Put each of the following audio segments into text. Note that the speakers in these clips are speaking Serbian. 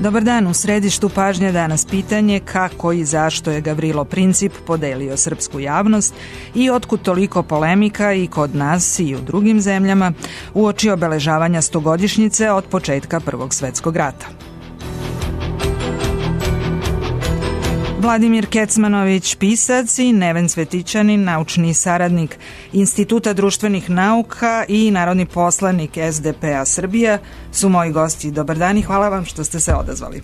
Dobar dan, u središtu pažnje danas pitanje kako i zašto je Gavrilo Princip podelio srpsku javnost i otkud toliko polemika i kod nas i u drugim zemljama uoči obeležavanja 100-godišnjice od početka Prvog svetskog rata. Vladimir Kecmanović, pisac, i Neven Cvetićanin, naučni saradnik Instituta društvenih nauka i narodni poslanik SDP-a Srbija, su moji gosti. Dobar dan i hvala vam što ste se odazvali.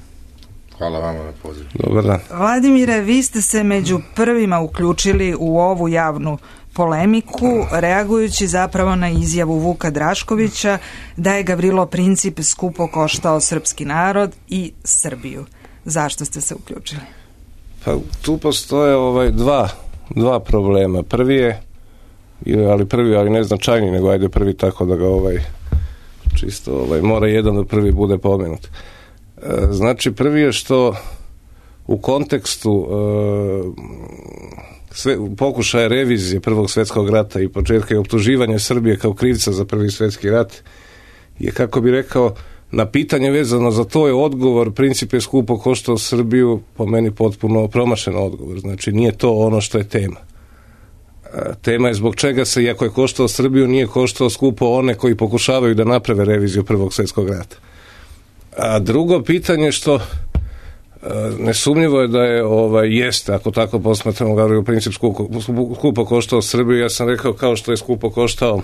Hvala vama na pozivu. Dobar dan. Vladimire, vi ste se među prvima uključili u ovu javnu polemiku, reagujući zapravo na izjavu Vuka Draškovića da je Gavrilo Princip skupo koštao srpski narod i Srbiju. Zašto ste se uključili? Pa tu postoje dva problema. Prvi, ali neznačajniji, nego ajde prvi tako da ga čisto mora jedan da prvi bude pomenut. Znači, prvi je što u kontekstu pokušaja revizije Prvog svjetskog rata i početka i optuživanja Srbije kao krivca za Prvi svjetski rat je, kako bi rekao, na pitanje vezano za to je odgovor Princip je skupo koštao Srbiju, po meni potpuno promašen odgovor. Znači, nije to ono što je tema. Tema je zbog čega se, iako je koštao Srbiju, nije koštao skupo one koji pokušavaju da naprave reviziju Prvog svjetskog rata. A drugo pitanje što nesumnjivo je da jeste, ako tako posmatramo, Gavrilo Princip skupo koštao Srbiju. Ja sam rekao kao što je skupo koštao,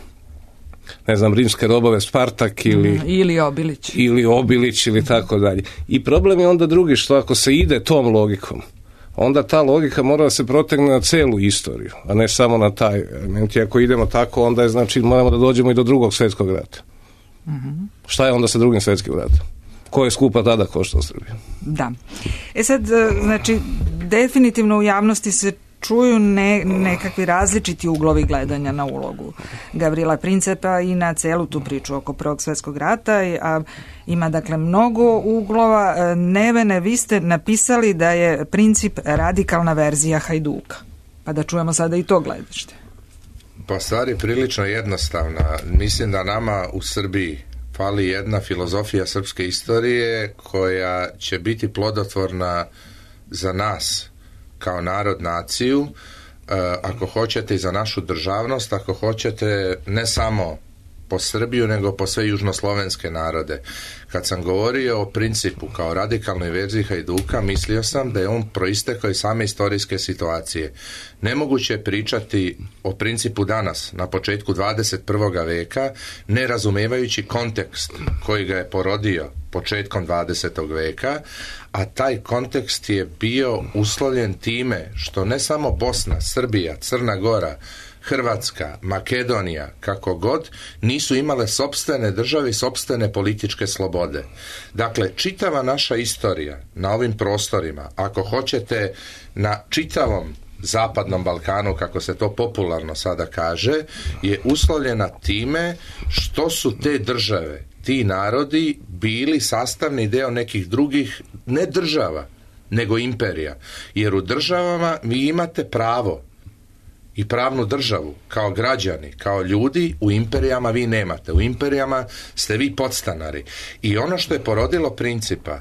ne znam, rimske robove Spartak ili Obilić ili tako dalje. I problem je onda drugi, što ako se ide tom logikom, onda ta logika mora da se protegne na celu istoriju, a ne samo na taj element. I ako idemo tako, onda je, znači, moramo da dođemo i do Drugog svjetskog rata. Šta je onda sa Drugim svjetskim ratom? Ko je skupa tada koštao Srbiju? Da. Sad, znači, definitivno u javnosti se čuju nekakvi različiti uglovi gledanja na ulogu Gavrila Principa i na celu tu priču oko Prvog svjetskog rata, a ima dakle mnogo uglova. Nevene, vi ste napisali da je Princip radikalna verzija Hajduka, pa da čujemo sada i to gledište. Pa stvar je prilično jednostavna. Mislim da nama u Srbiji fali jedna filozofija srpske istorije koja će biti plodotvorna za nas kao narod, naciju, ako hoćete i za našu državnost, ako hoćete ne samo po Srbiju, nego po sve južnoslovenske narode. Kad sam govorio o Principu kao radikalnoj verziji Hajduka, mislio sam da je on proistekao iz same istorijske situacije. Nemoguće je pričati o Principu danas, na početku 21. veka, ne razumevajući kontekst koji ga je porodio početkom 20. veka, a taj kontekst je bio uslovljen time što ne samo Bosna, Srbija, Crna Gora, Hrvatska, Makedonija, kako god, nisu imale sopstvene države i sopstvene političke slobode. Dakle, čitava naša istorija na ovim prostorima, ako hoćete na čitavom Zapadnom Balkanu, kako se to popularno sada kaže, je uslovljena time što su te države, ti narodi bili sastavni deo nekih drugih, ne država, nego imperija. Jer u državama vi imate pravo i pravnu državu kao građani, kao ljudi, u imperijama vi nemate. U imperijama ste vi podstanari. I ono što je porodilo Principa,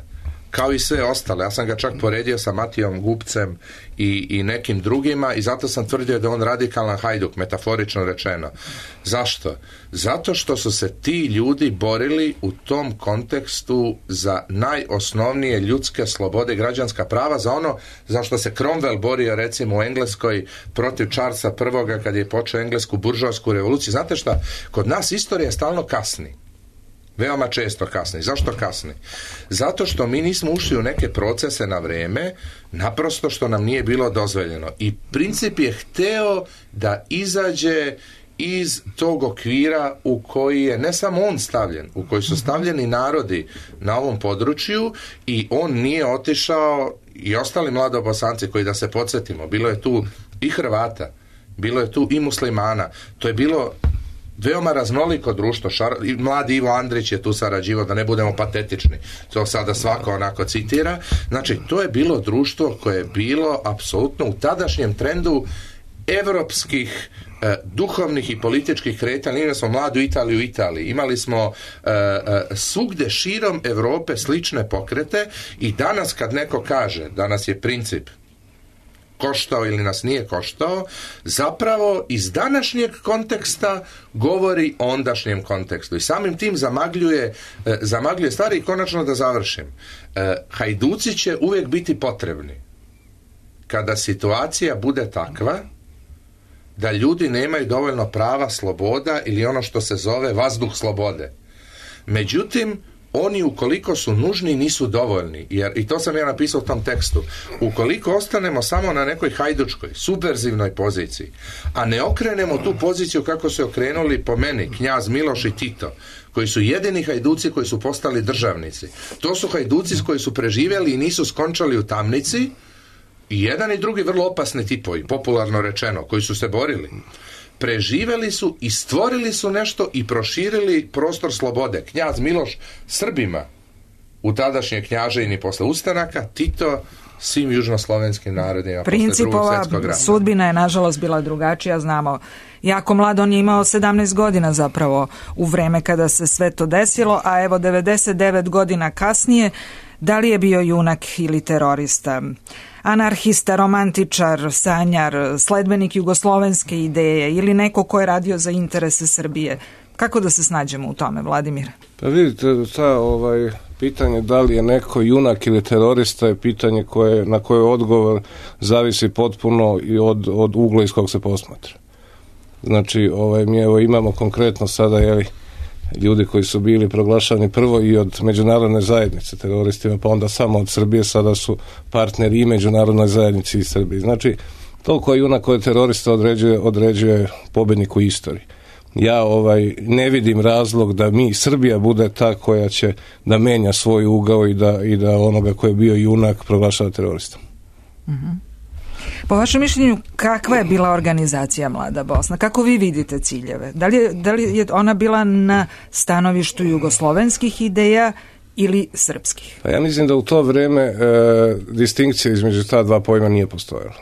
kao i sve ostale, ja sam ga čak poredio sa Matijom Gubcem i nekim drugima, i zato sam tvrdio da on radikalan Hajduk, metaforično rečeno. Zašto? Zato što su se ti ljudi borili u tom kontekstu za najosnovnije ljudske slobode, građanska prava, za ono za što se Cromwell borio, recimo, u Engleskoj protiv Charlesa I kad je počeo englesku buržoasku revoluciju. Znate šta? Kod nas istorija stalno kasni. Veoma često kasni. Zašto kasni? Zato što mi nismo ušli u neke procese na vreme, naprosto što nam nije bilo dozvoljeno. I Princip je hteo da izađe iz tog okvira u koji je ne samo on stavljen, u koji su stavljeni narodi na ovom području, i on nije otišao, i ostali mladobosanci koji, da se podsjetimo, bilo je tu i Hrvata, bilo je tu i muslimana, to je bilo veoma raznoliko društvo. Mladi Ivo Andrić je tu sarađivao, da ne budemo patetični, to sada svako onako citira. Znači, to je bilo društvo koje je bilo apsolutno u tadašnjem trendu evropskih duhovnih i političkih kretanja. Imali smo mladu Italiju u Italiji, imali smo svugde širom Europe slične pokrete i danas kad neko kaže da nas je princip koštao ili nas nije koštao, zapravo iz današnjeg konteksta govori o ondašnjem kontekstu i samim tim zamagljuje stvari. I konačno da završim, hajduci će uvijek biti potrebni kada situacija bude takva da ljudi nemaju dovoljno prava, sloboda ili ono što se zove vazduh slobode. Međutim, oni ukoliko su nužni nisu dovoljni, jer, i to sam ja napisao u tom tekstu, ukoliko ostanemo samo na nekoj hajdučkoj, subverzivnoj poziciji, a ne okrenemo tu poziciju kako su okrenuli po meni knjaz Miloš i Tito, koji su jedini hajduci koji su postali državnici. To su hajduci koji su preživjeli i nisu skončali u tamnici, i jedan i drugi vrlo opasni tipovi, popularno rečeno, koji su se borili. Preživjeli su i stvorili su nešto i proširili prostor slobode. Knjaz Miloš Srbima u tadašnje Knjaževini posle ustanaka, Tito svim južnoslovenskim narodima posle Drugog svjetskog rata. Sudbina je nažalost bila drugačija, znamo. Jako mlad, on je imao 17 godina zapravo u vreme kada se sve to desilo, a evo 99 godina kasnije, da li je bio junak ili terorista? Anarhista, romantičar, sanjar, sledbenik jugoslovenske ideje ili neko ko je radio za interese Srbije. Kako da se snađemo u tome, Vladimir? Pa vidite, pitanje da li je neko junak ili terorista je pitanje na koje odgovor zavisi potpuno i od ugla iz kog se posmatra. Znači, mi imamo konkretno sada, ljudi koji su bili proglašani prvo i od međunarodne zajednice teroristima, pa onda samo od Srbije, sada su partneri i međunarodnoj zajednici i Srbiji. Znači, to ko je junak, ko je terorista određuje pobjednik u istoriji. Ja ne vidim razlog da Srbija bude ta koja će da menja svoj ugao i da onoga koji je bio junak proglašava teroristom. Mm-hmm. Po vašem mišljenju, kakva je bila organizacija Mlada Bosna? Kako vi vidite ciljeve? Da li je ona bila na stanovištu jugoslovenskih ideja ili srpskih? Pa ja mislim da u to vrijeme distinkcija između ta dva pojma nije postojala.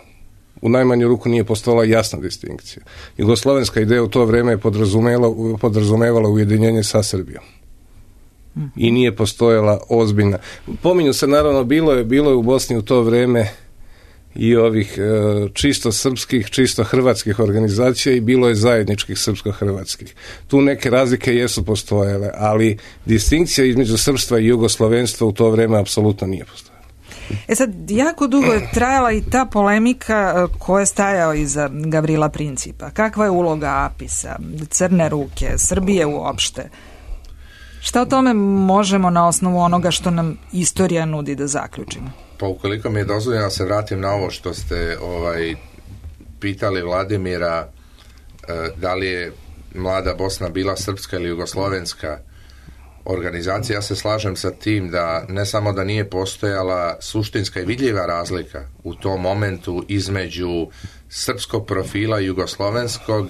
U najmanju ruku nije postojala jasna distinkcija. Jugoslovenska ideja u to vrijeme je podrazumevala ujedinjenje sa Srbijom. I nije postojala ozbiljna. Pominju se, naravno, bilo je u Bosni u to vrijeme i ovih čisto srpskih, čisto hrvatskih organizacija i bilo je zajedničkih srpsko-hrvatskih. Tu neke razlike jesu postojale, ali distinkcija između srpstva i jugoslovenstva u to vrijeme apsolutno nije postojala. Sad, jako dugo je trajala i ta polemika koja je stajao iza Gavrila Principa. Kakva je uloga APIS-a, Crne ruke, Srbije uopšte? Šta o tome možemo na osnovu onoga što nam istorija nudi da zaključimo? Pa ukoliko mi je dozvoljeno se vratim na ovo što ste pitali Vladimira, da li je Mlada Bosna bila srpska ili jugoslovenska organizacija, ja se slažem sa tim da ne samo da nije postojala suštinska i vidljiva razlika u tom momentu između srpskog profila i jugoslovenskog,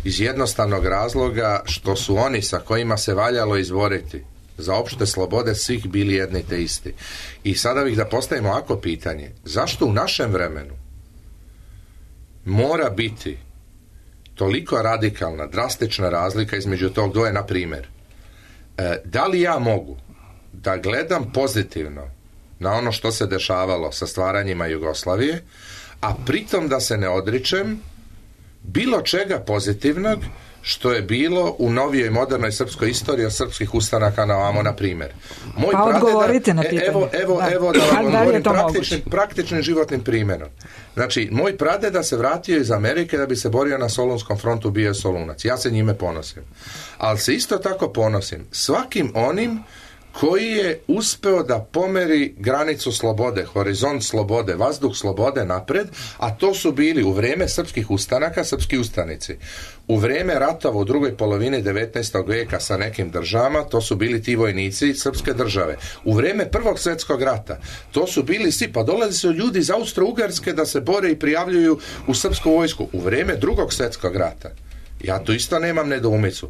iz jednostavnog razloga što su oni sa kojima se valjalo izboriti za opšte slobode svih bili jedni te isti. I sada bih da postavimo ovako pitanje, zašto u našem vremenu mora biti toliko radikalna, drastična razlika između tog dvoje? Na primjer, da li ja mogu da gledam pozitivno na ono što se dešavalo sa stvaranjima Jugoslavije, a pritom da se ne odričem bilo čega pozitivnog što je bilo u novijoj modernoj srpskoj istoriji od srpskih ustanaka na ovamo, na primjer. Odgovorite na pitanje. Evo da vam govorim praktičnim životnim primjerom. Znači, moj pradeda se vratio iz Amerike da bi se borio na Solunskom frontu, bio je Solunac. Ja se njime ponosim. Ali se isto tako ponosim svakim onim koji je uspeo da pomeri granicu slobode, horizont slobode, vazduh slobode napred, a to su bili u vrijeme srpskih ustanaka, srpski ustanici. U vrijeme ratova u drugoj polovini 19. vijeka sa nekim državama, to su bili ti vojnici srpske države. U vrijeme Prvog svjetskog rata, to su bili svi, pa dolazi su ljudi iz Austro-Ugarske da se bore i prijavljuju u srpsku vojsku. U vrijeme Drugog svjetskog rata, ja tu isto nemam nedoumicu,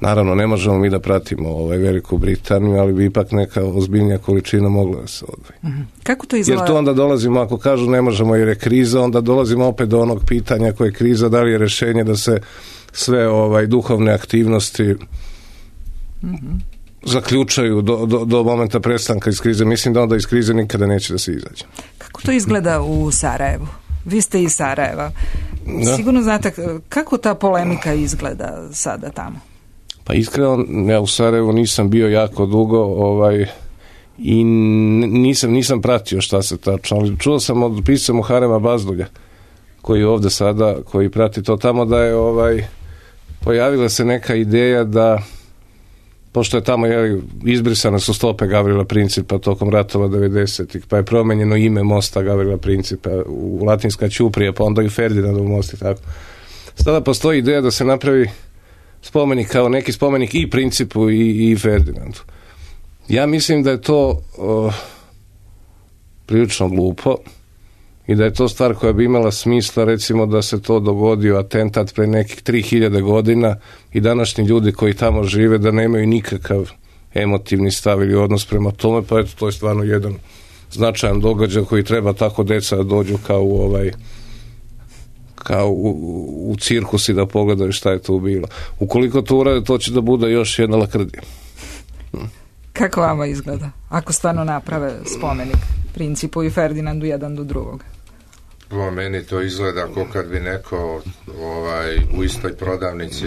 Naravno, ne možemo mi da pratimo Veliku Britaniju, ali bi ipak neka ozbiljnija količina mogla da se odvoji. Kako to izgleda? Jer tu onda dolazimo, ako kažu ne možemo jer je kriza, onda dolazimo opet do onog pitanja koje je kriza, da li je rješenje da se sve duhovne aktivnosti zaključaju do momenta prestanka iz krize. Mislim da onda iz krize nikada neće da se izađe. Kako to izgleda u Sarajevu? Vi ste iz Sarajeva. Da. Sigurno znate kako ta polemika izgleda sada tamo? Pa iskreno, ja u Sarajevu nisam bio jako dugo i nisam pratio šta se tačno, ali čuo sam od pisca Muharema Bazdulja, koji je ovde sada, koji prati to tamo, da je pojavila se neka ideja da, pošto je tamo izbrisane su stope Gavrila Principa tokom ratova 90-ih, pa je promenjeno ime mosta Gavrila Principa u Latinska Ćuprija, pa onda i Ferdinandov most i tako. Sada postoji ideja da se napravi spomenik kao neki spomenik i Principu i Ferdinandu. Ja mislim da je to prilično glupo i da je to stvar koja bi imala smisla, recimo da se to dogodio atentat pre nekih 3000 godina i današnji ljudi koji tamo žive da nemaju nikakav emotivni stav ili odnos prema tome, pa eto, to je stvarno jedan značajan događaj koji treba tako deca da dođu kao u cirkus i da pogledaju šta je tu bilo. Ukoliko to urade, to će da bude još jedna lakrdija. Kako vama izgleda, ako stvarno naprave spomenik Principu i Ferdinandu jedan do drugog? Po meni to izgleda kao kad bi neko u istoj prodavnici,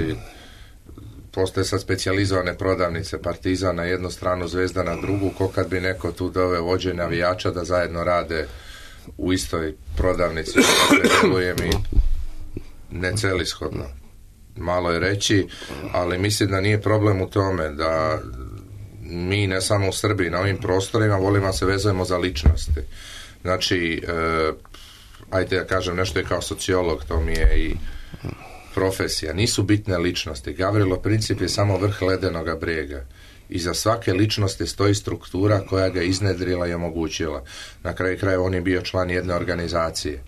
postoje sad specijalizovane prodavnice, Partizan na jednu stranu, Zvezda na drugu, kao kad bi neko tu doveo vođe navijača da zajedno rade u istoj prodavnici. Deluje mi necelishodno. Malo je reći, ali mislim da nije problem u tome da mi ne samo u Srbiji, na ovim prostorima volimo se vezujemo za ličnosti. Znači, ajde ja kažem nešto je kao sociolog, to mi je i profesija. Nisu bitne ličnosti. Gavrilo Princip je samo vrh ledenoga brega. Iza svake ličnosti stoji struktura koja ga iznedrila i omogućila. Na kraju krajeva on je bio član jedne organizacije.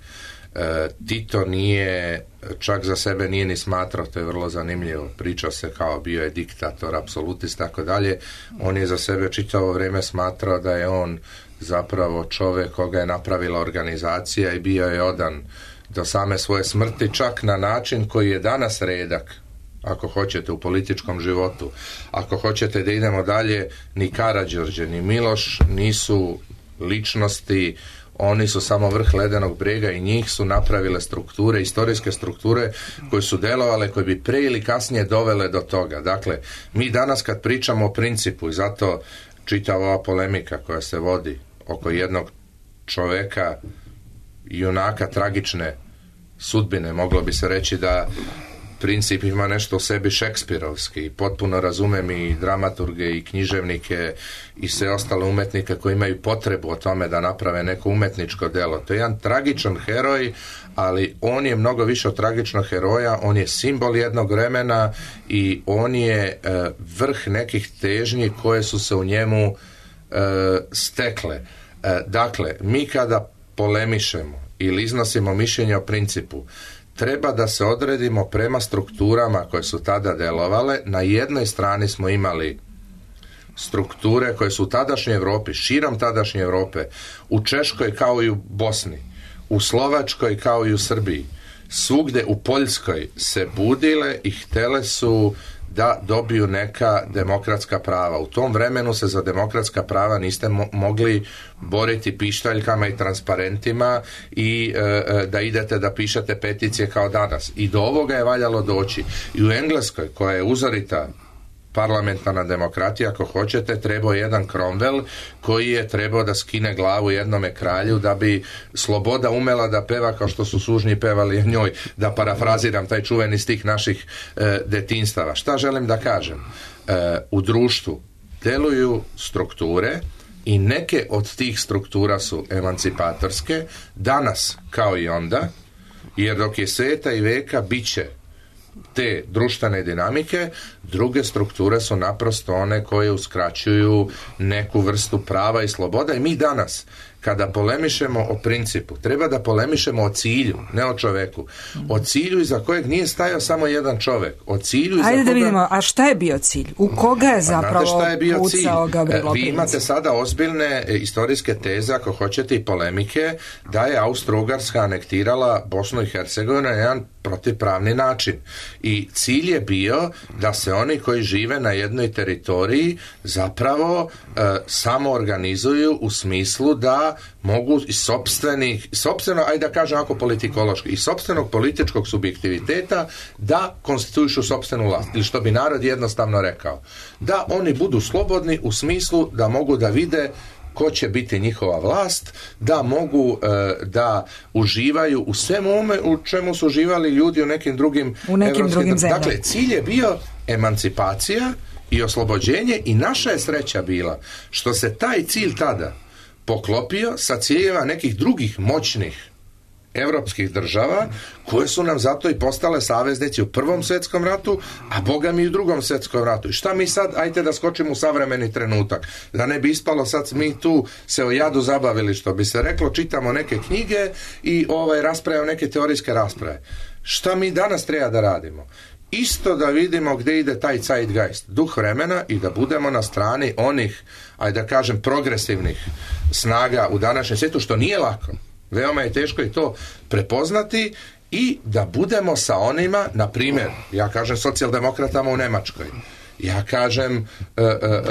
Tito nije, čak za sebe nije ni smatrao, to je vrlo zanimljivo, pričao se kao bio je diktator, apsolutist, tako dalje. On je za sebe čitavo vrijeme smatrao da je on zapravo čovjek koga je napravila organizacija i bio je odan do same svoje smrti, čak na način koji je danas redak, ako hoćete, u političkom životu. Ako hoćete da idemo dalje, ni Karađorđe, ni Miloš nisu ličnosti, oni su samo vrh ledenog brega i njih su napravile strukture, istorijske strukture koje su delovale, koje bi prije ili kasnije dovele do toga. Dakle, mi danas kad pričamo o Principu, i zato čitava ova polemika koja se vodi oko jednog čoveka, junaka tragične sudbine, moglo bi se reći da Princip ima nešto u sebi šekspirovski i potpuno razumem i dramaturge i književnike i sve ostale umetnike koji imaju potrebu o tome da naprave neko umetničko delo. To je jedan tragičan heroj, ali on je mnogo više od tragičnog heroja, on je simbol jednog vremena i on je vrh nekih težnji koje su se u njemu stekle. Dakle, mi kada polemišemo ili iznosimo mišljenje o Principu, treba da se odredimo prema strukturama koje su tada delovale. Na jednoj strani smo imali strukture koje su u tadašnjoj Europi, širom tadašnje Europe, u Češkoj kao i u Bosni, u Slovačkoj kao i u Srbiji, svugde u Poljskoj se budile i htele su da dobiju neka demokratska prava. U tom vremenu se za demokratska prava niste mogli boriti pištaljkama i transparentima i da idete da pišete peticije kao danas. I do ovoga je valjalo doći. I u Engleskoj, koja je uzorita parlamentarna demokratija, ako hoćete, trebao jedan Cromwell koji je trebao da skine glavu jednome kralju da bi sloboda umela da peva kao što su sužnji pevali njoj, da parafraziram taj čuveni stih naših detinstava. Šta želim da kažem? U društvu deluju strukture i neke od tih struktura su emancipatorske, danas kao i onda, jer dok je sveta i veka bit će te društvene dinamike, druge strukture su naprosto one koje uskraćuju neku vrstu prava i sloboda i mi danas kada polemišemo o principu, treba da polemišemo o cilju, ne o čoveku. O cilju iza kojeg nije stajao samo jedan čovek. O cilju iza Ajde da vidimo, a šta je bio cilj? U koga je zapravo pucao Gavrilo Princip? Vi imate sada ozbiljne istorijske teze, ako hoćete, i polemike, da je Austro-Ugarska anektirala Bosnu i Hercegovinu na jedan protivpravni način. I cilj je bio da se oni koji žive na jednoj teritoriji zapravo samo organizuju u smislu da mogu iz sopstveno, ajde da kažem ako politikološki, iz sopstvenog političkog subjektiviteta da konstituišu sopstvenu vlast. Ili što bi narod jednostavno rekao. Da oni budu slobodni u smislu da mogu da vide ko će biti njihova vlast, da mogu da uživaju u svemu ome u čemu su uživali ljudi u nekim drugim zemljama. Dakle, cilj je bio emancipacija i oslobođenje i naša je sreća bila što se taj cilj tada poklopio sa ciljeva nekih drugih moćnih evropskih država koje su nam zato i postale saveznici u Prvom svjetskom ratu, a boga mi i u Drugom svjetskom ratu. I šta mi sad, ajte da skočimo u savremeni trenutak, da ne bi ispalo sad mi tu se o jadu zabavili, što bi se reklo, čitamo neke knjige i raspravljamo neke teorijske rasprave. Šta mi danas treba da radimo? Isto da vidimo gdje ide taj zeitgeist, duh vremena, i da budemo na strani onih, ajde da kažem, progresivnih snaga u današnjem svijetu, što nije lako. Veoma je teško i to prepoznati, i da budemo sa onima, na primjer, ja kažem socijaldemokratama u Nemačkoj, ja kažem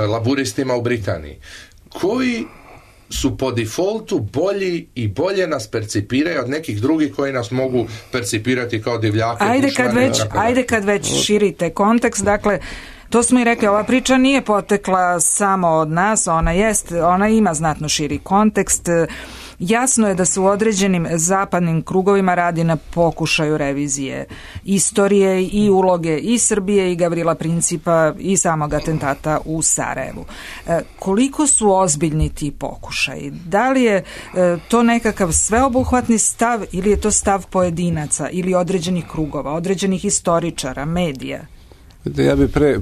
laburistima u Britaniji, koji su po defaultu bolji i bolje nas percipiraju od nekih drugih koji nas mogu percipirati kao divljake. Ajde kad već širite kontekst, dakle, to smo i rekli, ova priča nije potekla samo od nas, ona ima znatno širi kontekst. Jasno je da se u određenim zapadnim krugovima radi na pokušaju revizije istorije i uloge i Srbije i Gavrila Principa i samog atentata u Sarajevu. Koliko su ozbiljni ti pokušaji? Da li je to nekakav sveobuhvatni stav ili je to stav pojedinaca ili određenih krugova, određenih istoričara, medija? Ja bi pre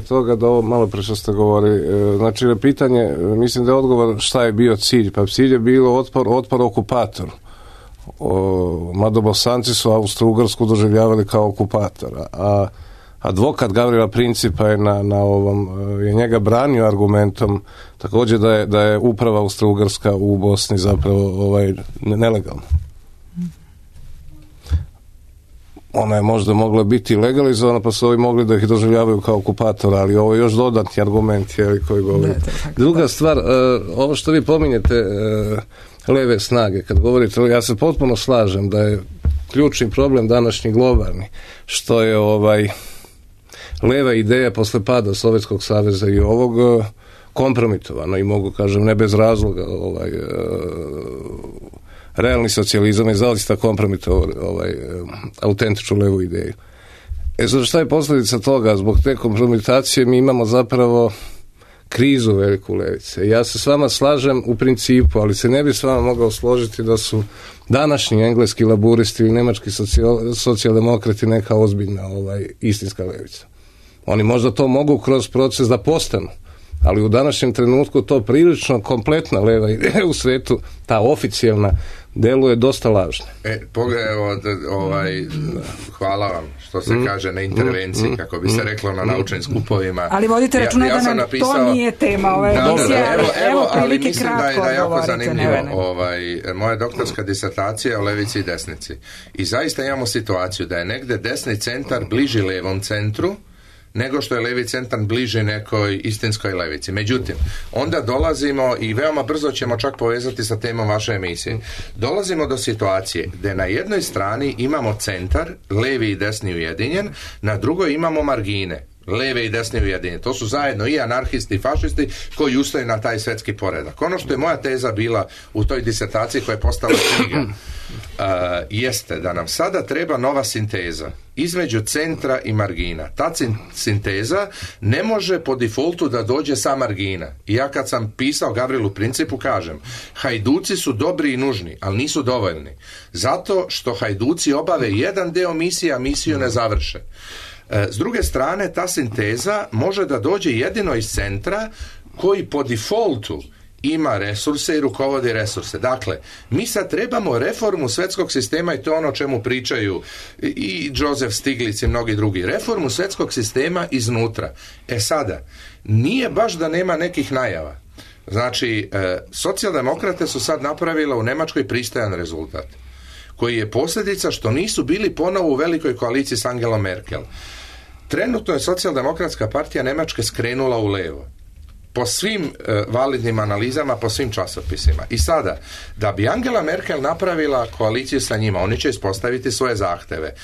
toga da ovo malo pre što ste govorili, znači na pitanje, mislim da je odgovor šta je bio cilj, pa cilj je bilo otpor okupatoru. Mada Bosanci su Austro-Ugarsku doživljavali kao okupatora, a advokat Gavrila Principa je je njega branio argumentom također da je uprava Austro-Ugarska u Bosni zapravo nelegalna. Ona je možda mogla biti legalizovana, pa su ovi mogli da ih doživljavaju kao okupatora, ali ovo je još dodatni argument koji govori. Druga stvar, ovo što vi pominjete, leve snage, kad govorite, ja se potpuno slažem da je ključni problem današnji globalni, što je leva ideja posle pada Sovjetskog saveza i ovog kompromitovano, i mogu kažem ne bez razloga, realni socijalizam je zaista kompromitovao autentičnu levu ideju. Sad šta je posljedica toga? Zbog te kompromitacije mi imamo zapravo krizu veliku levice. Ja se s vama slažem u principu, ali se ne bi s vama mogao složiti da su današnji engleski laburisti ili nemački socijaldemokrati neka ozbiljna istinska levica. Oni možda to mogu kroz proces da postanu, ali u današnjem trenutku to prilično kompletna leva ideja u svetu, ta oficijelna, deluje dosta lažno. Hvala vam što se kaže na intervenciji, kako bi se reklo na naučnim skupovima. Ali vodite računa da nam to nije tema ove emisije. Evo, ali mislim da je jako zanimljivo. Moja doktorska disertacija je o levici i desnici. I zaista imamo situaciju da je negde desni centar bliži levom centru, nego što je levi centar bliži nekoj istinskoj levici. Međutim, onda dolazimo, i veoma brzo ćemo čak povezati sa temom vaše emisije, dolazimo do situacije gde na jednoj strani imamo centar, levi i desni ujedinjen, na drugoj imamo margine, leve i desne ujedinjene. To su zajedno i anarhisti i fašisti koji ustaju na taj svetski poredak. Ono što je moja teza bila u toj disertaciji koja je postala knjiga, jeste da nam sada treba nova sinteza između centra i margina. Ta sinteza ne može po defaultu da dođe sa margina. I ja kad sam pisao Gavrilu Principu kažem, hajduci su dobri i nužni, ali nisu dovoljni. Zato što hajduci obave jedan deo misije, a misiju ne završe. S druge strane, ta sinteza može da dođe jedino iz centra koji po defaultu ima resurse i rukovodi resurse. Dakle, mi sad trebamo reformu svjetskog sistema i to je ono o čemu pričaju i Joseph Stiglitz i mnogi drugi. Reformu svjetskog sistema iznutra. Sada, nije baš da nema nekih najava. Znači, socijaldemokrate su sad napravile u Njemačkoj pristojan rezultat, koji je posljedica što nisu bili ponovo u velikoj koaliciji s Angelom Merkel. Trenutno je socijaldemokratska partija Njemačke skrenula u levo. Po svim validnim analizama, po svim časopisima. I sada, da bi Angela Merkel napravila koaliciju sa njima, oni će ispostaviti svoje zahteve.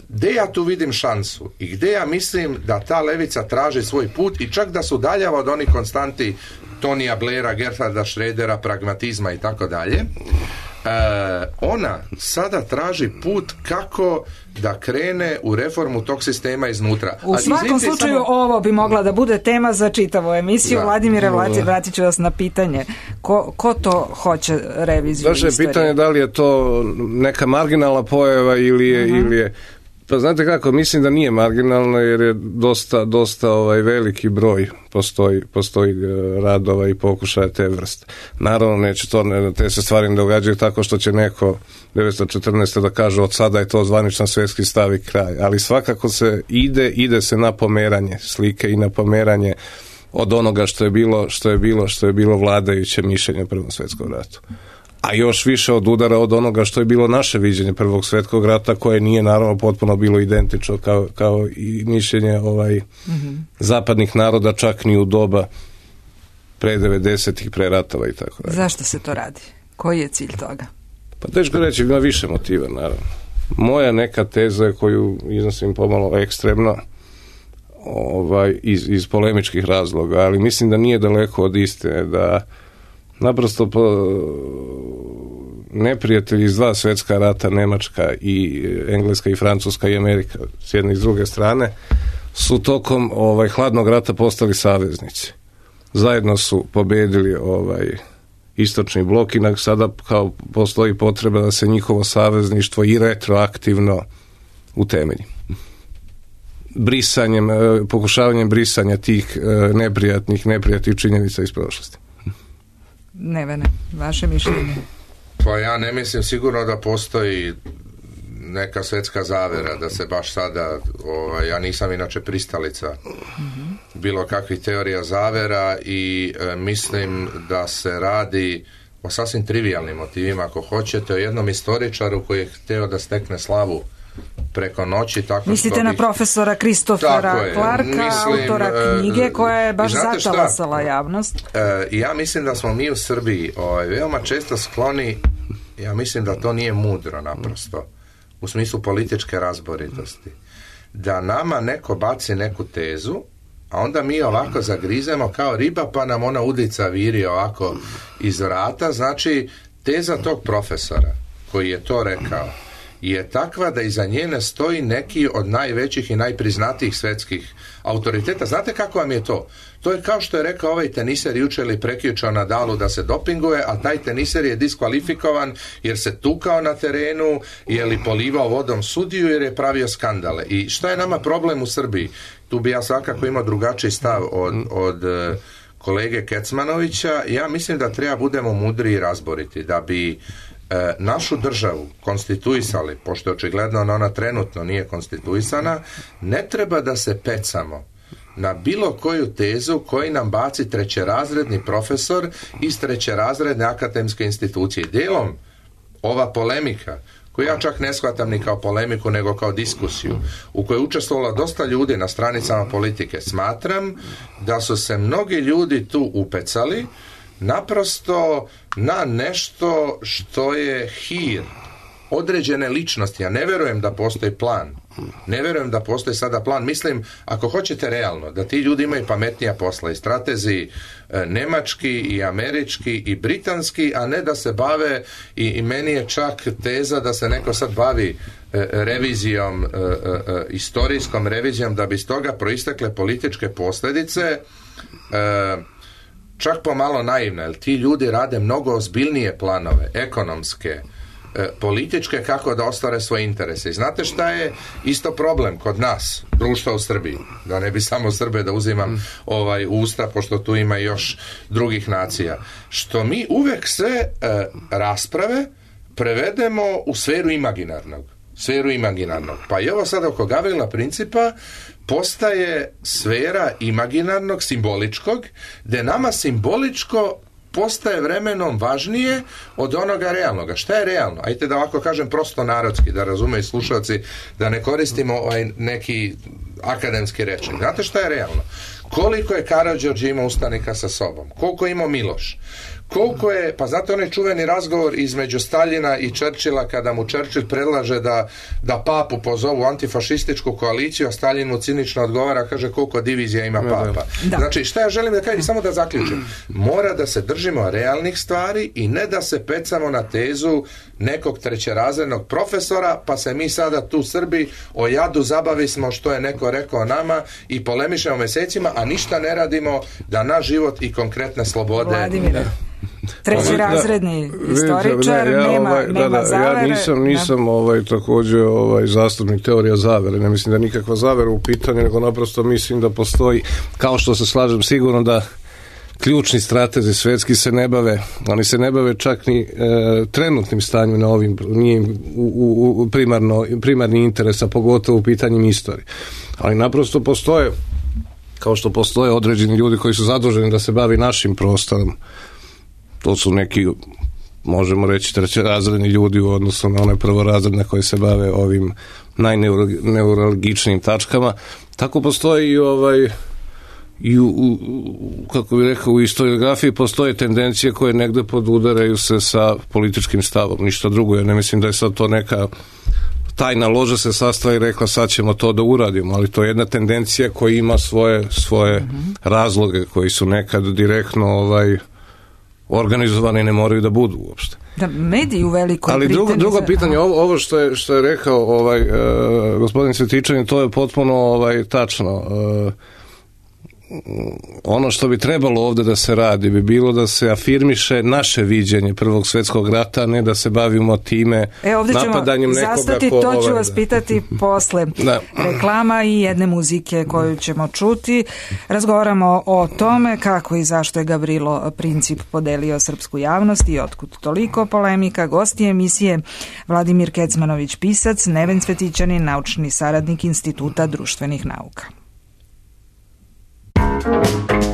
Gdje ja tu vidim šansu i gdje ja mislim da ta levica traži svoj put i čak da su daljava od onih konstanti Tonija Blaira, Gerharda Schrödera, pragmatizma i tako dalje, ona sada traži put kako da krene u reformu tog sistema iznutra. U svakom slučaju ovo bi mogla da bude tema za čitavu emisiju. Vladimire, vratit ću vas na pitanje. Ko to hoće reviziju istorije? Vaše pitanje da li je to neka marginalna pojava ili je pa znate kako, mislim da nije marginalno jer je dosta veliki broj postoji radova i pokušaja te vrste. Naravno neće te se stvari ne događaju tako što će neko 1914. da kaže od sada je to zvaničan svjetski stav i kraj, ali svakako se ide se na pomeranje slike i na pomeranje od onoga što je bilo vladajuće mišljenje u Prvom svjetskom ratu. A još više od udara od onoga što je bilo naše viđenje Prvog svjetskog rata, koje nije naravno potpuno bilo identično kao i mišljenje zapadnih naroda, čak ni u doba pre 90-ih, pre ratova i tako dalje. Zašto se to radi? Koji je cilj toga? Pa teško reći, ima više motiva naravno. Moja neka teza koju iznosim pomalo ekstremno iz polemičkih razloga, ali mislim da nije daleko od istine, da naprosto neprijatelji iz dva svjetska rata, Njemačka i Engleska i Francuska i Amerika s jedne i s druge strane, su tokom hladnog rata postali saveznici. Zajedno su pobedili istočni blok i sada kao postoji potreba da se njihovo savezništvo i retroaktivno utemelji. Pokušavanjem brisanja tih neprijatnih činjenica iz prošlosti. Nevene, vaše mišljenje? Pa ja ne mislim sigurno da postoji neka svjetska zavera, da se baš sada, ja nisam inače pristalica bilo kakvih teorija zavera i mislim da se radi o sasvim trivijalnim motivima, ako hoćete, o jednom istoričaru koji je htio da stekne slavu preko noći. Mislite na profesora Kristofera Clarka, autora knjige koja je baš zatalasala javnost? Ja mislim da smo mi u Srbiji veoma često skloni, ja mislim da to nije mudro naprosto, u smislu političke razboritosti. Da nama neko baci neku tezu, a onda mi ovako zagrizemo kao riba, pa nam ona udica viri ovako iz vrata. Znači, teza tog profesora koji je to rekao je takva da iza njene stoji neki od najvećih i najpriznatijih svjetskih autoriteta. Znate kako vam je to? To je kao što je rekao ovaj teniser jučer ili prekjučer Nadalu da se dopinguje, a taj teniser je diskvalifikovan jer se tukao na terenu, je li polivao vodom sudiju jer je pravio skandale. I šta je nama problem u Srbiji? Tu bi ja svakako imao drugačiji stav od kolege Kecmanovića. Ja mislim da treba budemo mudri i razboriti, da bi našu državu konstituisali, pošto očigledno ona trenutno nije konstituisana, ne treba da se pecamo na bilo koju tezu koji nam baci trećerazredni profesor iz trećerazredne akademske institucije. Dijelom ova polemika, koju ja čak ne shvatam ni kao polemiku, nego kao diskusiju, u kojoj je učestvovalo dosta ljudi na stranicama politike, smatram da su se mnogi ljudi tu upecali naprosto na nešto što je hir određene ličnosti. Ja ne vjerujem da postoji plan. Ne vjerujem da postoji sada plan. Mislim, ako hoćete realno, da ti ljudi imaju pametnija posla i stratezi nemački i američki i britanski, a ne da se bave i meni je čak teza da se neko sad bavi revizijom, istorijskom revizijom, da bi iz toga proistekle političke posljedice, čak pomalo naivne, jer ti ljudi rade mnogo ozbiljnije planove, ekonomske, političke kako da ostvare svoje interese. I znate šta je isto problem kod nas, društva u Srbiji, da ne bi samo Srbe da uzimam usta, pošto tu ima još drugih nacija, što mi uvek sve rasprave prevedemo u sferu imaginarnog. Pa i ovo sad oko Gavrila Principa postaje sfera imaginarnog, simboličkog, gde nama simboličko postaje vremenom važnije od onoga realnoga. Šta je realno? Ajde da ovako kažem prosto narodski, da razumeju slušalci, da ne koristimo neki akademski rečnik. Znate šta je realno? Koliko je Karađorđe imao ustanika sa sobom? Koliko je imao Miloš? Koliko je, pa znate onaj čuveni razgovor između Staljina i Churchilla kada mu Churchill predlaže da papu pozovu antifašističku koaliciju, a Staljin mu cinično odgovara, kaže koliko divizija ima papa. Da. Znači šta ja želim da kažem, samo da zaključim, mora da se držimo realnih stvari i ne da se pecamo na tezu nekog trećerazrednog profesora, pa se mi sada tu Srbi o jadu zabavismo što je neko rekao nama i polemišemo mesecima, a ništa ne radimo da naš život i konkretne slobode... Vladimire, trećerazredni istoričar, nema zavere. Ja nisam također zastupnik teorija zavere, ne mislim da nikakva zavera u pitanju, nego naprosto mislim da postoji, kao što se slažem sigurno da ključni stratezi svetski se ne bave, oni se ne bave čak ni trenutnim stanjem na ovim, nije im primarni interes, a pogotovo u pitanjima istorije. Ali naprosto postoje, kao što postoje određeni ljudi koji su zaduženi da se bavi našim prostorom. To su neki, možemo reći, trećerazredni ljudi u odnosu na one prvorazredne koji se bave ovim najneuralgičnijim tačkama. Tako postoji kako bih rekao, u historiografiji postoje tendencije koje negde podudaraju se sa političkim stavom. Ništa drugo, ja ne mislim da je sad to neka tajna loža se sastala i rekla sad ćemo to da uradimo, ali to je jedna tendencija koja ima svoje razloge koji su nekad direktno organizovani, ne moraju da budu uopšte. Da, mediji u velikoj ali drugo pitanje, ovo što je rekao gospodin Svetičanin, to je potpuno tačno. Ono što bi trebalo ovdje da se radi bi bilo da se afirmiše naše viđenje Prvog svjetskog rata, ne da se bavimo time napadanjem nekoga. Zastati, to ću vas pitati posle reklama i jedne muzike koju ćemo čuti. Razgovaramo o tome kako i zašto je Gavrilo Princip podelio srpsku javnost i otkud toliko polemika. Gosti emisije Vladimir Kecmanović, pisac, Neven Cvetićanin, naučni saradnik Instituta društvenih nauka. Cards you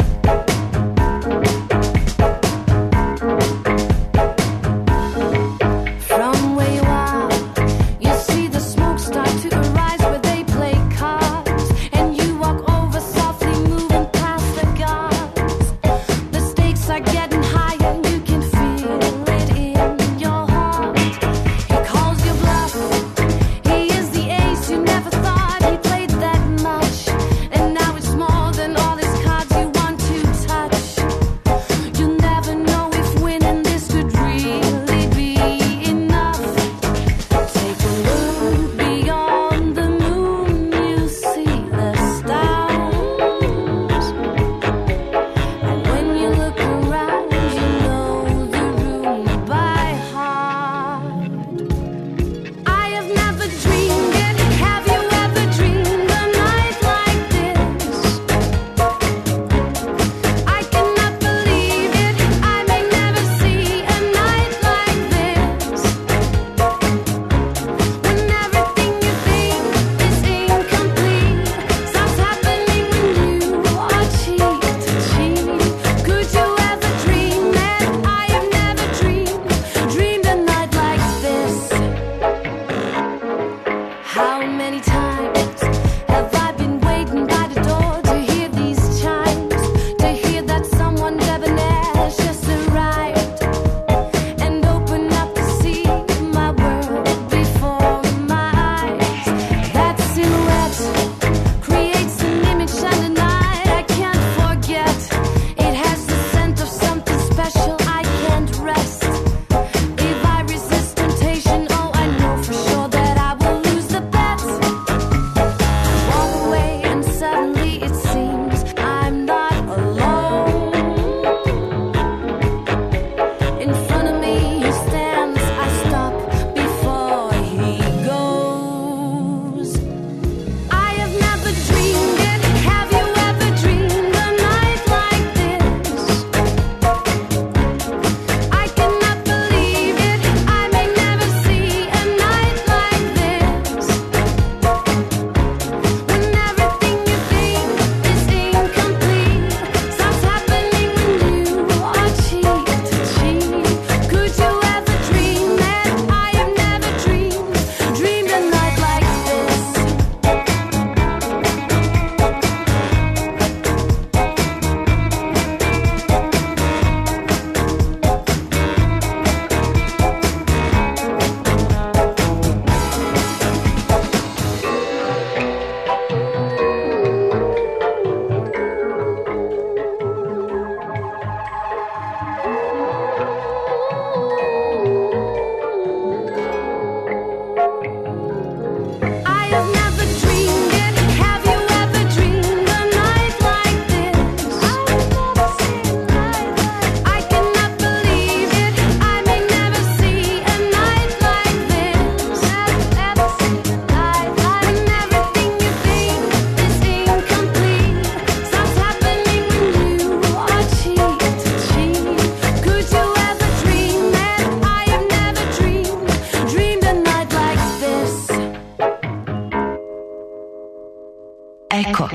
Eko.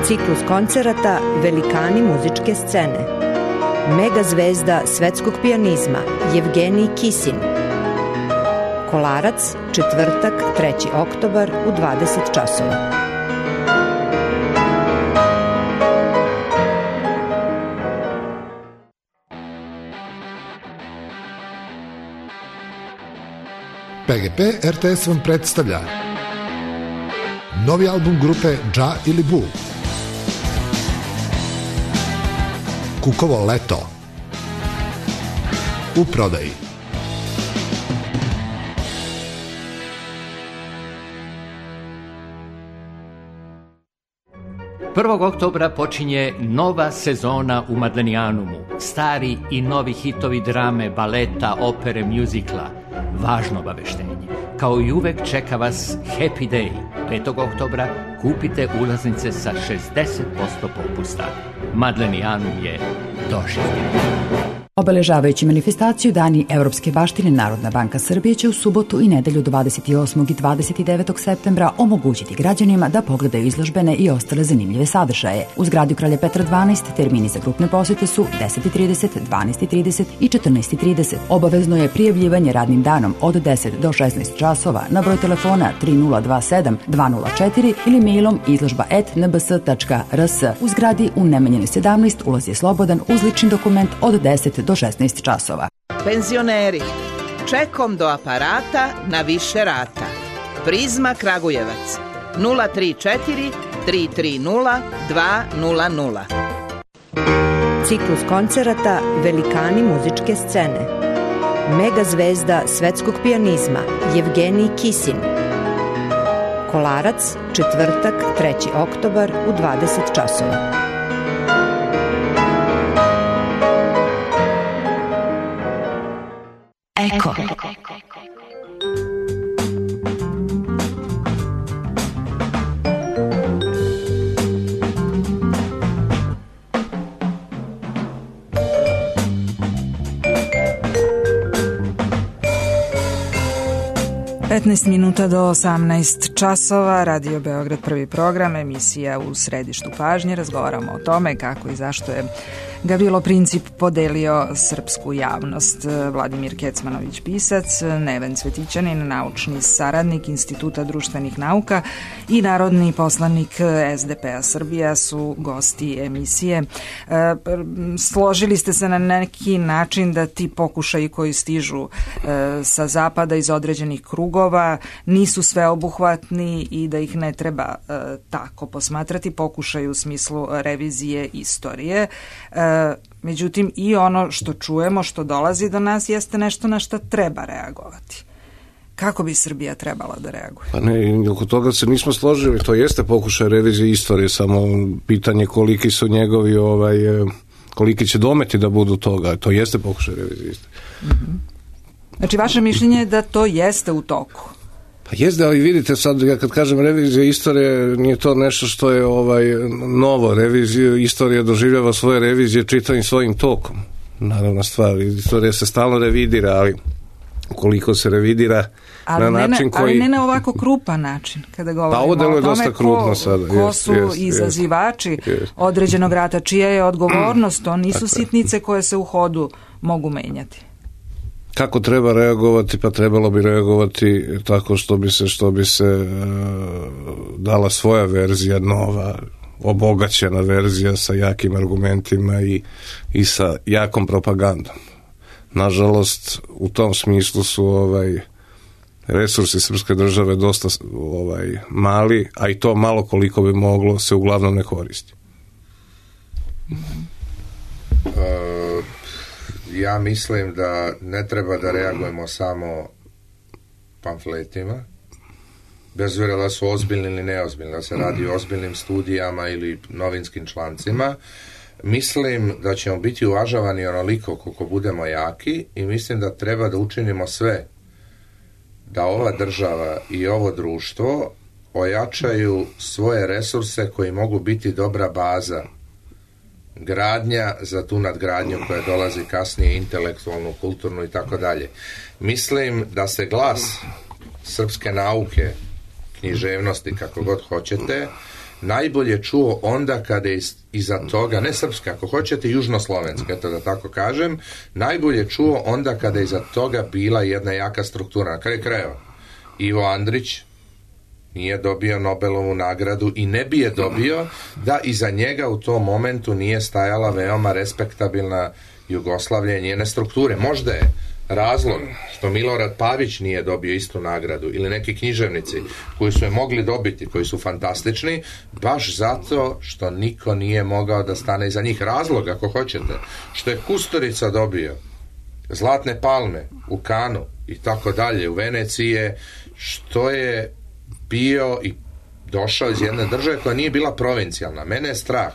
Ciklus koncerata Velikani muzičke scene. Mega zvezda svetskog pijanizma Jevgenij Kisin. Kolarac, četvrtak, 3. oktobar u 20 časova. PGP RTS vam predstavlja novi album grupe Dža ili Bu. Kukovo leto. U prodaji. Prvog oktobra počinje nova sezona u Madlenijanumu. Stari i novi hitovi drame, baleta, opere, mjuzikla. Važno obaveštenje. Kao i uvek čeka vas Happy Day. 5. oktobra kupite ulaznice sa 60% popusta. Madlenijanum je doživljen. Obeležavajući manifestaciju Dani Evropske baštine, Narodna banka Srbije će u subotu i nedelju 28. i 29. septembra omogućiti građanima da pogledaju izložbene i ostale zanimljive sadržaje. U zgradi Kralja Petra 12 termini za grupne posete su 10:30, 12:30 i 14:30. Obavezno je prijavljivanje radnim danom od 10 do 16 časova na broj telefona 3027 204 ili mailom izložba@nbs.rs. U zgradi u Nemanjinoj 17 ulaz je slobodan uz lični dokument od 10 do 16 časova. Penzioneri, čekom do aparata na više rata. Prizma Kragujevac 034 330 200. Ciklus koncerata Velikani muzičke scene. Mega zvezda svetskog pijanizma Jevgenij Kisin. Kolarac, četvrtak, 3. oktobar u 20 časova. Eko. 15 minuta do 18 časova, Radio Beograd, prvi program, emisija U središtu pažnje. Razgovaramo o tome kako i zašto je Gavrilo Princip podelio srpsku javnost. Vladimir Kecmanović, pisac, Neven Cvetićanin, naučni saradnik Instituta društvenih nauka i narodni poslanik SDP-a Srbija su gosti emisije. Složili ste se na neki način da ti pokušaji koji stižu sa zapada iz određenih krugova nisu sveobuhvatni i da ih ne treba tako posmatrati, pokušaj u smislu revizije istorije. Međutim, i ono što čujemo, što dolazi do nas, jeste nešto na što treba reagovati. Kako bi Srbija trebala da reaguje? Pa ne, oko toga se nismo složili, to jeste pokušaj revizije istorije, samo pitanje koliki su njegovi, koliki će dometi da budu toga, to jeste pokušaj revizije istorije. Znači, vaše mišljenje je da to jeste u toku? Pa jeste, ali vidite sad, ja kad kažem revizija istorije, nije to nešto što je novo. Revizija istorija doživljava svoje revizije čitavim svojim tokom. Naravna stvar, istorija se stalno revidira, ali koliko se revidira na način koji... Ali ne na ovako krupan način, kada govorimo o tome ko su izazivači određenog rata, čija je odgovornost, to nisu sitnice koje se u hodu mogu menjati. Kako treba reagovati? Pa trebalo bi reagovati tako što bi se dala svoja verzija, nova, obogaćena verzija sa jakim argumentima i sa jakom propagandom. Nažalost, u tom smislu su resursi srpske države dosta mali, a i to malo koliko bi moglo se uglavnom ne koristi. Ja mislim da ne treba da reagujemo samo pamfletima, bez obzira da su ozbiljni ili neozbiljni, da se radi o ozbiljnim studijama ili novinskim člancima. Mislim da ćemo biti uvažavani onoliko koliko budemo jaki i mislim da treba da učinimo sve da ova država i ovo društvo ojačaju svoje resurse koji mogu biti dobra baza gradnja za tu nadgradnju koja dolazi kasnije, intelektualnu, kulturnu i tako dalje. Mislim da se glas srpske nauke, književnosti, kako god hoćete, najbolje čuo onda kada je iza toga, ne srpska, ako hoćete južnoslovenska, eto da tako kažem, najbolje čuo onda kada je iza toga bila jedna jaka struktura. Na kraju krajeva, Ivo Andrić nije dobio Nobelovu nagradu i ne bi je dobio da iza njega u tom momentu nije stajala veoma respektabilna Jugoslavlja i njene strukture. Možda je razlog što Milorad Pavić nije dobio istu nagradu ili neki književnici koji su je mogli dobiti, koji su fantastični, baš zato što niko nije mogao da stane iza njih. Razlog, ako hoćete, što je Kusturica dobio Zlatne palme u Kanu i tako dalje u Veneciji, je što je bio i došao iz jedne države koja nije bila provincijalna. Mene je strah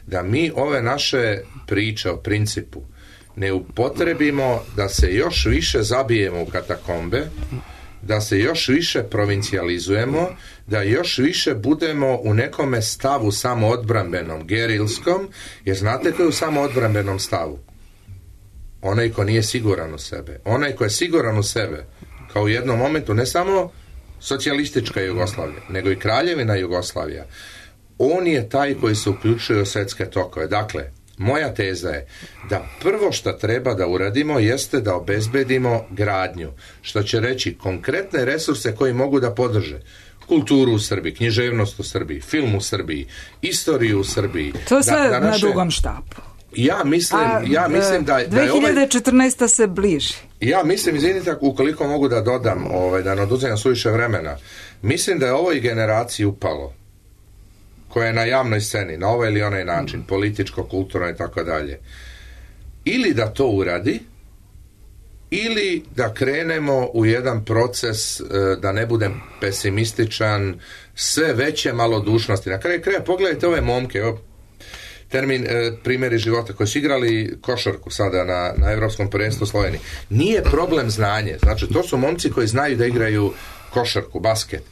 da mi ove naše priče o principu ne upotrebimo da se još više zabijemo u katakombe, da se još više provincijalizujemo, da još više budemo u nekome stavu samoodbrambenom, gerilskom, jer znate ko je u samoodbrambenom stavu? Onaj ko nije siguran u sebe. Onaj ko je siguran u sebe, kao u jednom momentu, ne samo socijalistička Jugoslavija, nego i Kraljevina Jugoslavija, on je taj koji se uključuje u svetske tokove. Dakle, moja teza je da prvo što treba da uradimo jeste da obezbedimo gradnju, što će reći konkretne resurse koji mogu da podrže kulturu u Srbiji, književnost u Srbiji, film u Srbiji, istoriju u Srbiji. To sve na dugom štapu. Ja mislim da je 2014. se bliži. Ja mislim, izvinite, ukoliko mogu da dodam, da ne oduzimam suviše vremena, mislim da je ovoj generaciji upalo, koja je na javnoj sceni, na ovaj ili onaj način, političko, kulturno i tako dalje, ili da to uradi, ili da krenemo u jedan proces, da ne budem pesimističan, sve veće malodušnosti. Na kraju kraja, pogledajte ove momke, termin primjeri života, koji su igrali košarku sada na Evropskom prvenstvu Sloveniji. Nije problem znanje. Znači, to su momci koji znaju da igraju košarku, basket.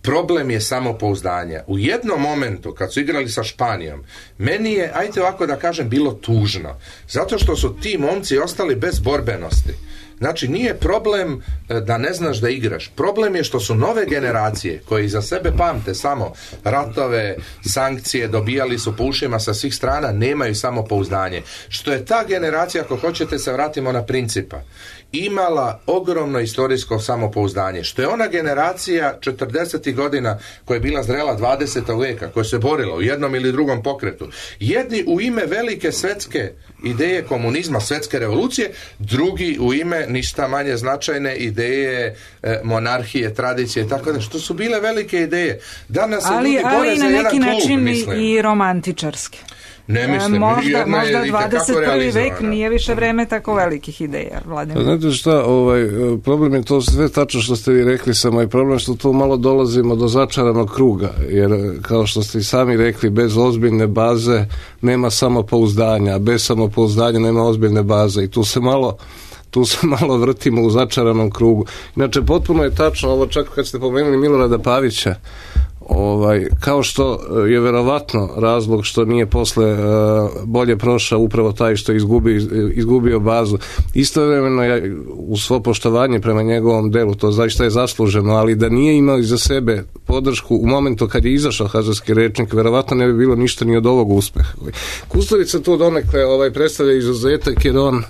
Problem je samopouzdanje. U jednom momentu, kad su igrali sa Španijom, meni je, ajte ovako da kažem, bilo tužno. Zato što su ti momci ostali bez borbenosti. Znači, nije problem da ne znaš da igraš. Problem je što su nove generacije, koje iza sebe pamte samo ratove, sankcije, dobijali su po ušima sa svih strana, nemaju samopouzdanje. Što je ta generacija, ako hoćete se vratimo na principa, imala ogromno istorijsko samopouzdanje. Što je ona generacija 40. godina koja je bila zrela 20. veka, koja se borila u jednom ili drugom pokretu. Jedni u ime velike svetske ideje komunizma, svetske revolucije, drugi u ime ništa manje značajne ideje monarhije, tradicije, tako da, što su bile velike ideje. Danas se ljudi bore za jedan klub, način mislim. I romantičarske. Ne mislim, možda 21. vek nije više vreme tako velikih ideja. Znate šta, problem je to sve tačno što ste vi rekli, samo je problem što tu malo dolazimo do začaranog kruga, jer kao što ste i sami rekli, bez ozbiljne baze nema samopouzdanja, bez samopouzdanja nema ozbiljne baze i tu se malo vrtimo u začaranom krugu. Inače, potpuno je tačno ovo, čak kad ste pomenuli Milorada Pavića, kao što je verovatno razlog što nije posle bolje prošao upravo taj što je izgubio bazu. Istovremeno je, u svo poštovanje prema njegovom delu, to zaista je zasluženo, ali da nije imao iza sebe podršku u momentu kad je izašao Hazarski rečnik, verovatno ne bi bilo ništa ni od ovog uspeha. Kusturica tu donekle predstavlja izuzetak, jer on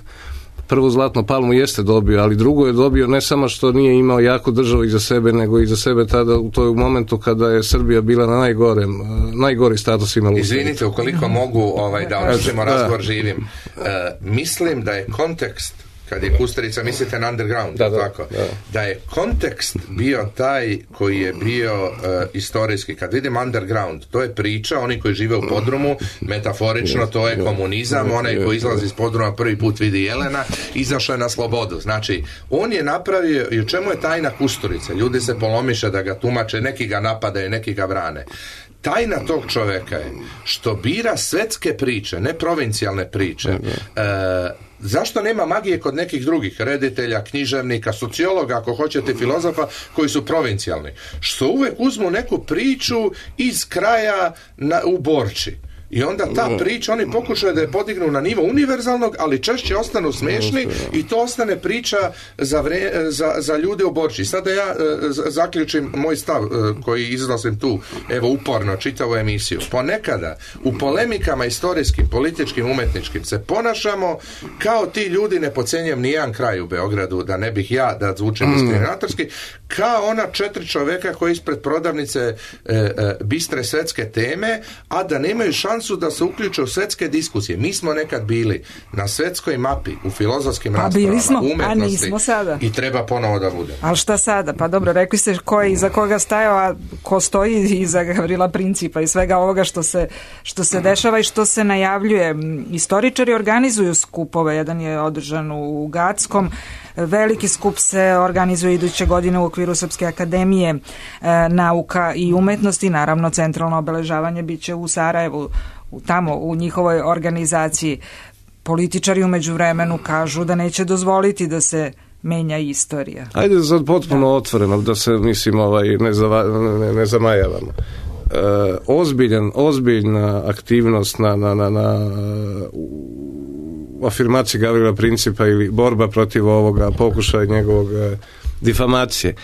prvu Zlatnu palmu jeste dobio, ali drugo je dobio ne samo što nije imao jaku državu iza sebe, nego iza sebe tada u toj momentu kada je Srbija bila na najgori status imala. Izvinite, ukoliko mogu da održimo razgovor živim. Mislim da je kontekst, kad je Kusturica, mislite na underground, da je kontekst bio taj koji je bio istorijski. Kad vidim underground, to je priča, oni koji žive u podrumu, metaforično, to je komunizam, onaj koji izlazi iz podruma prvi put vidi Jelena, izašao je na slobodu. Znači, on je napravio, i u čemu je tajna Kusturice? Ljudi se polomiše da ga tumače, neki ga napadaju, neki ga brane. Tajna tog čoveka je što bira svetske priče, ne provincijalne priče. Zašto nema magije kod nekih drugih reditelja, književnika, sociologa, ako hoćete, filozofa, koji su provincijalni? Što uvek uzmu neku priču iz kraja u Borči. I onda ta priča, oni pokušaju da je podignu na nivo univerzalnog, ali češće ostanu smešni i to ostane priča za ljude u Borči. Sada ja zaključim moj stav koji iznosim tu, evo uporno, čitavu emisiju. Ponekada u polemikama istorijskim, političkim, umetničkim se ponašamo kao ti ljudi, ne pocenjujem nijedan kraj u Beogradu, da ne bih ja da zvučim diskriminatorski, kao ona 4 čoveka koji ispred prodavnice bistre svetske teme, a da nemaju šansu da se uključe u svetske diskusije. Mi smo nekad bili na svetskoj mapi, u filozofskim raspravama, umetnosti i treba ponovo da bude. Ali šta sada? Pa dobro, rekli ste ko je iza koga stajao, a ko stoji iza Gavrila Principa i svega ovoga što se dešava i što se najavljuje. Istoričari organizuju skupove, jedan je održan u Gackom, veliki skup se organizuje iduće godine u okviru Srpske akademije nauka i umetnosti, naravno centralno obeležavanje biće u Sarajevu, tamo u njihovoj organizaciji. Političari u međuvremenu kažu da neće dozvoliti da se menja istorija. Ajde sad potpuno otvoreno, da se mislim ne zamajavamo. Ozbiljna aktivnost na afirmaciji Gavrila Principa ili borba protiv ovoga pokušaja njegovog difamacije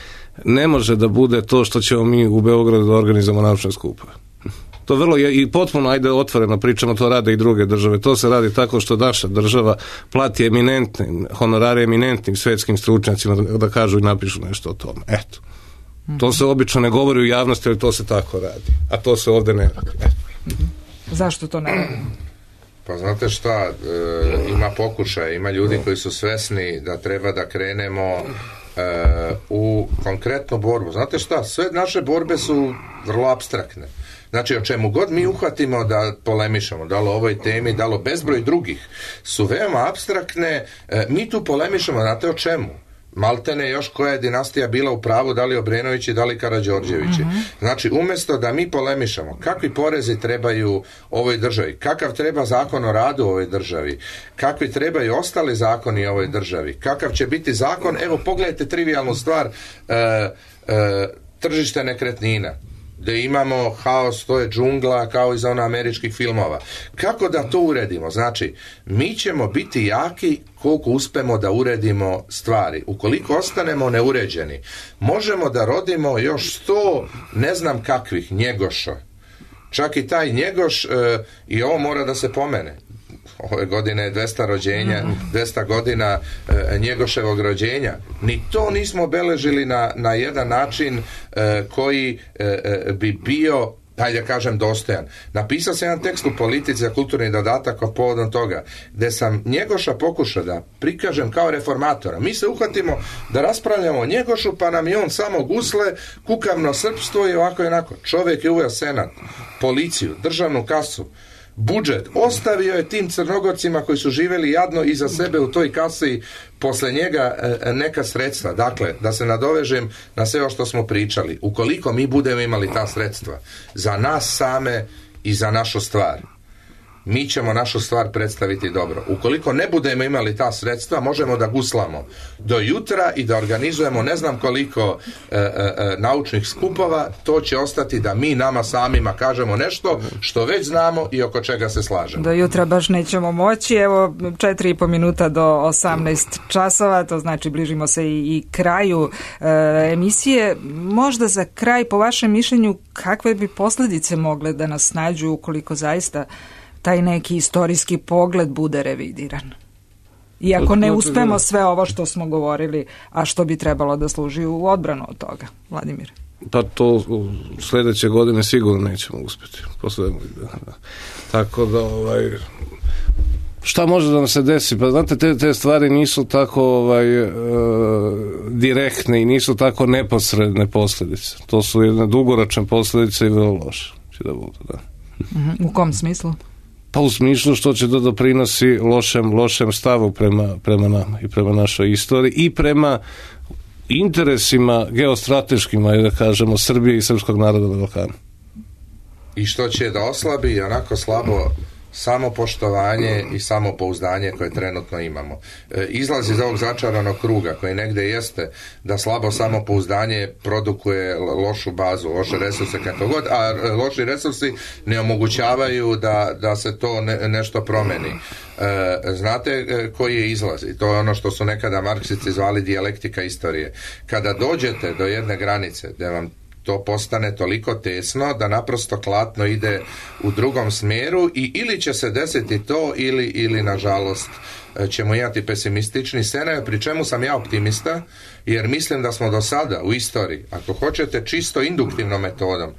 ne može da bude to što ćemo mi u Beogradu da organizujemo naučne skupove. To vrlo je i potpuno, ajde otvoreno pričamo, to rade i druge države. To se radi tako što naša država plati honorare eminentnim svetskim stručnjacima da kažu i napišu nešto o tome. Eto. To se obično ne govori u javnosti, ali to se tako radi. A to se ovde ne radi. Zašto to ne radi? Pa znate šta, ima pokušaj, ima ljudi koji su svesni da treba da krenemo u konkretnu borbu. Znate šta, sve naše borbe su vrlo apstraktne. Znači, o čemu god mi uhvatimo da polemišemo, da li o ovoj temi, da li o bezbroj drugih, su veoma apstraktne. Mi tu polemišemo, znate o čemu? Maltene još koja je dinastija bila u pravu, da li Obrenovići, da li Karađorđevići. Znači, umjesto da mi polemišemo kakvi porezi trebaju ovoj državi, kakav treba zakon o radu u ovoj državi, kakvi trebaju ostali zakoni u ovoj državi, kakav će biti zakon, evo pogledajte trivijalnu stvar, tržište nekretnina, gdje imamo haos, to je džungla kao iz ona američkih filmova. Kako da to uredimo? Znači, mi ćemo biti jaki koliko uspemo da uredimo stvari. Ukoliko ostanemo neuređeni, možemo da rodimo još 100 ne znam kakvih Njegoša. Čak i taj Njegoš, i ovo mora da se pomene. Ove godine je 200 rođenja, 200 godina Njegoševog rođenja. Ni to nismo obeležili na jedan način koji bi bio, hajde kažem, dostojan. Napisao sam jedan tekst u Politici za kulturni dodatak o povodom toga, gde sam Njegoša pokušao da prikažem kao reformatora. Mi se uhvatimo da raspravljamo o Njegošu, pa nam je on samo gusle, kukavno srpstvo i ovako i onako. Čovjek je uveo senat, policiju, državnu kasu, budžet, ostavio je tim Crnogorcima koji su živjeli jadno iza sebe u toj kasi posle njega neka sredstva. Dakle, da se nadovežem na sve ovo što smo pričali. Ukoliko mi budemo imali ta sredstva za nas same i za našu stvar, mi ćemo našu stvar predstaviti dobro. Ukoliko ne budemo imali ta sredstva, možemo da guslamo do jutra i da organizujemo ne znam koliko naučnih skupova, to će ostati da mi nama samima kažemo nešto što već znamo i oko čega se slažemo. Do jutra baš nećemo moći, evo 4,5 minuta do 18 časova, to znači bližimo se i kraju emisije. Možda za kraj, po vašem mišljenju, kakve bi posljedice mogle da nas snađu ukoliko zaista taj neki istorijski pogled bude revidiran? Iako ne uspemo sve ovo što smo govorili, a što bi trebalo da služi u odbranu od toga, Vladimir? Pa to sljedeće godine sigurno nećemo uspjeti. Tako da šta može da nam se desi? Pa znate, te stvari nisu tako direktne i nisu tako neposredne posljedice. To su jedne dugoročne posljedice i vrlo loše će da budu, da. U kom smislu? Pa u smislu što će da doprinosi lošem stavu prema nama i prema našoj istoriji i prema interesima geostrateškima, da kažemo, Srbije i srpskog naroda na Balkanu. I što će da oslabi onako samopoštovanje i samopouzdanje koje trenutno imamo. Izlaz iz ovog začaranog kruga koji negde jeste da slabo samopouzdanje produkuje lošu bazu, loše resurse kako god, a loši resursi ne omogućavaju da se to nešto promeni. Znate koji je izlaz? I to je ono što su nekada marksisti zvali dijalektika istorije. Kada dođete do jedne granice gde vam to postane toliko tesno da naprosto klatno ide u drugom smjeru i ili će se desiti to ili nažalost ćemo imati pesimistični scenarij, pri čemu sam ja optimista jer mislim da smo do sada u istoriji, ako hoćete čisto induktivnom metodom,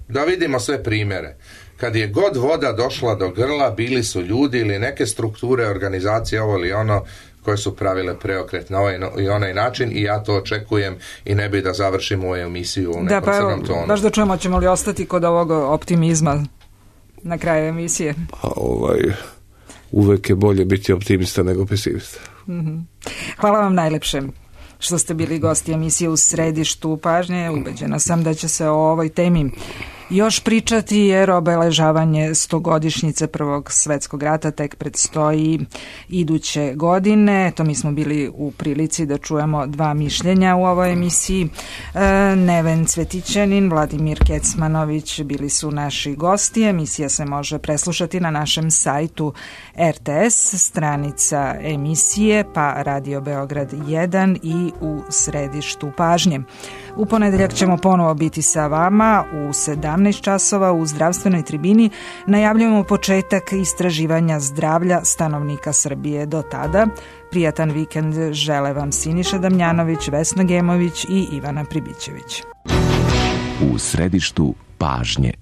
da vidimo sve primjere. Kad je god voda došla do grla, bili su ljudi ili neke strukture, organizacije, ovo ili ono, koje su pravile preokret na ovaj i onaj način i ja to očekujem i ne bi da završim ovu emisiju u nekom crnom tonu. Baš da čujemo, ćemo li ostati kod ovog optimizma na kraju emisije? Pa uvek je bolje biti optimista nego pesimista. Hvala vam najlepše što ste bili gosti emisije U središtu pažnje. Ubeđena sam da će se o ovoj temi još pričati jer obeležavanje 100-godišnjice Prvog svetskog rata tek predstoji iduće godine. To mi smo bili u prilici da čujemo dva mišljenja u ovoj emisiji. Neven Cvetićanin, Vladimir Kecmanović bili su naši gosti. Emisija se može preslušati na našem sajtu RTS, stranica emisije, pa Radio Beograd 1 i U središtu pažnje. U ponedeljak ćemo ponovo biti sa vama u 17 časova u zdravstvenoj tribini. Najavljujemo početak istraživanja zdravlja stanovnika Srbije. Do tada, prijatan vikend žele vam Siniša Damjanović, Vesna Gemović i Ivana Pribićević. U središtu pažnje.